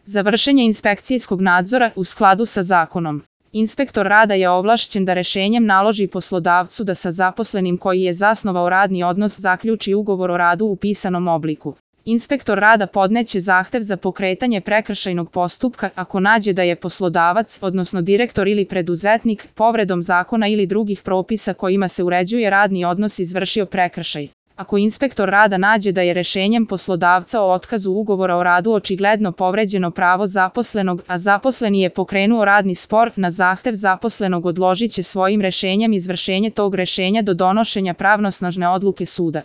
Za vršenje inspekcijskog nadzora u skladu sa zakonom. Inspektor rada je ovlašćen da rešenjem naloži poslodavcu da sa zaposlenim koji je zasnovao radni odnos zaključi ugovor o radu u pisanom obliku. Inspektor rada podneće zahtev za pokretanje prekršajnog postupka ako nađe da je poslodavac, odnosno direktor ili preduzetnik, povredom zakona ili drugih propisa kojima se uređuje radni odnos izvršio prekršaj. Ako inspektor rada nađe da je rešenjem poslodavca o otkazu ugovora o radu očigledno povređeno pravo zaposlenog, a zaposleni je pokrenuo radni spor, na zahtev zaposlenog odložiće svojim rešenjem izvršenje tog rešenja do donošenja pravnosnažne odluke suda.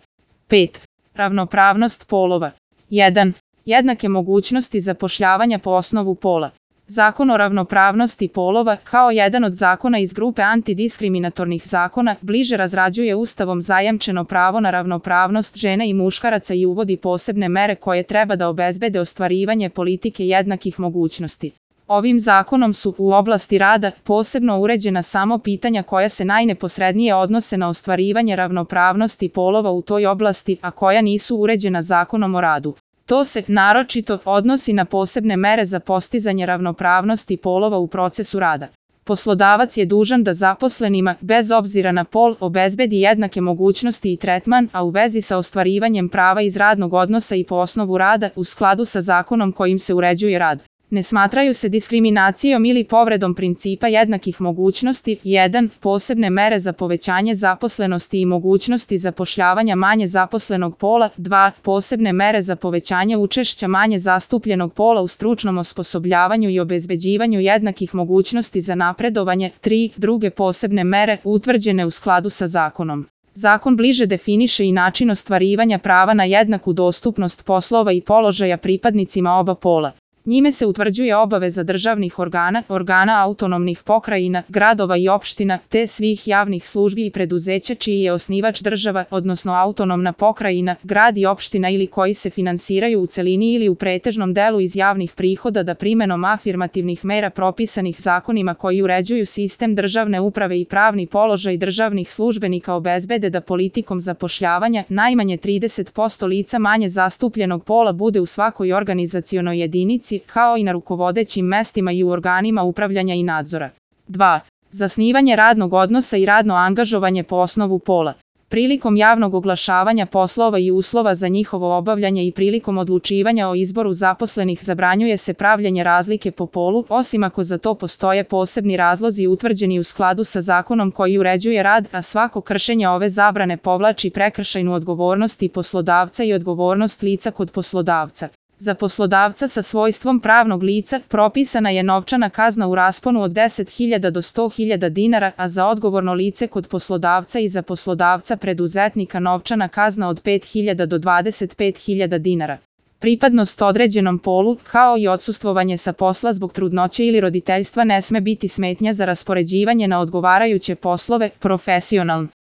5. Ravnopravnost polova. 1. Jednake mogućnosti zapošljavanja po osnovu pola. Zakon o ravnopravnosti polova, kao jedan od zakona iz grupe antidiskriminatornih zakona, bliže razrađuje Ustavom zajamčeno pravo na ravnopravnost žena i muškaraca i uvodi posebne mere koje treba da obezbede ostvarivanje politike jednakih mogućnosti. Ovim zakonom su u oblasti rada posebno uređena samo pitanja koja se najneposrednije odnose na ostvarivanje ravnopravnosti polova u toj oblasti, a koja nisu uređena Zakonom o radu. To se naročito odnosi na posebne mere za postizanje ravnopravnosti polova u procesu rada. Poslodavac je dužan da zaposlenima, bez obzira na pol, obezbedi jednake mogućnosti i tretman, a u vezi sa ostvarivanjem prava iz radnog odnosa i po osnovu rada, u skladu sa zakonom kojim se uređuje rad. Ne smatraju se diskriminacijom ili povredom principa jednakih mogućnosti. 1. Posebne mere za povećanje zaposlenosti i mogućnosti zapošljavanja manje zaposlenog pola. 2. Posebne mere za povećanje učešća manje zastupljenog pola u stručnom osposobljavanju i obezbeđivanju jednakih mogućnosti za napredovanje. 3. Druge posebne mere utvrđene u skladu sa zakonom. Zakon bliže definiše i način ostvarivanja prava na jednaku dostupnost poslova i položaja pripadnicima oba pola. Njime se utvrđuje obaveza državnih organa, organa autonomnih pokrajina, gradova i opština, te svih javnih službi i preduzeća čiji je osnivač država, odnosno autonomna pokrajina, grad i opština ili koji se finansiraju u celini ili u pretežnom delu iz javnih prihoda da primenom afirmativnih mera propisanih zakonima koji uređuju sistem državne uprave i pravni položaj državnih službenika obezbede da politikom zapošljavanja najmanje 30% lica manje zastupljenog pola bude u svakoj organizacionoj jedinici, kao i na rukovodećim mestima i u organima upravljanja i nadzora. 2. Zasnivanje radnog odnosa i radno angažovanje po osnovu pola. Prilikom javnog oglašavanja poslova i uslova za njihovo obavljanje i prilikom odlučivanja o izboru zaposlenih zabranjuje se pravljenje razlike po polu, osim ako za to postoje posebni razlozi utvrđeni u skladu sa zakonom koji uređuje rad, a svako kršenje ove zabrane povlači prekršajnu odgovornost i poslodavca i odgovornost lica kod poslodavca. Za poslodavca sa svojstvom pravnog lica propisana je novčana kazna u rasponu od 10.000 do 100.000 dinara, a za odgovorno lice kod poslodavca i za poslodavca preduzetnika novčana kazna od 5.000 do 25.000 dinara. Pripadnost određenom polu, kao i odsustvovanje sa posla zbog trudnoće ili roditeljstva ne sme biti smetnja za raspoređivanje na odgovarajuće poslove, profesionalno.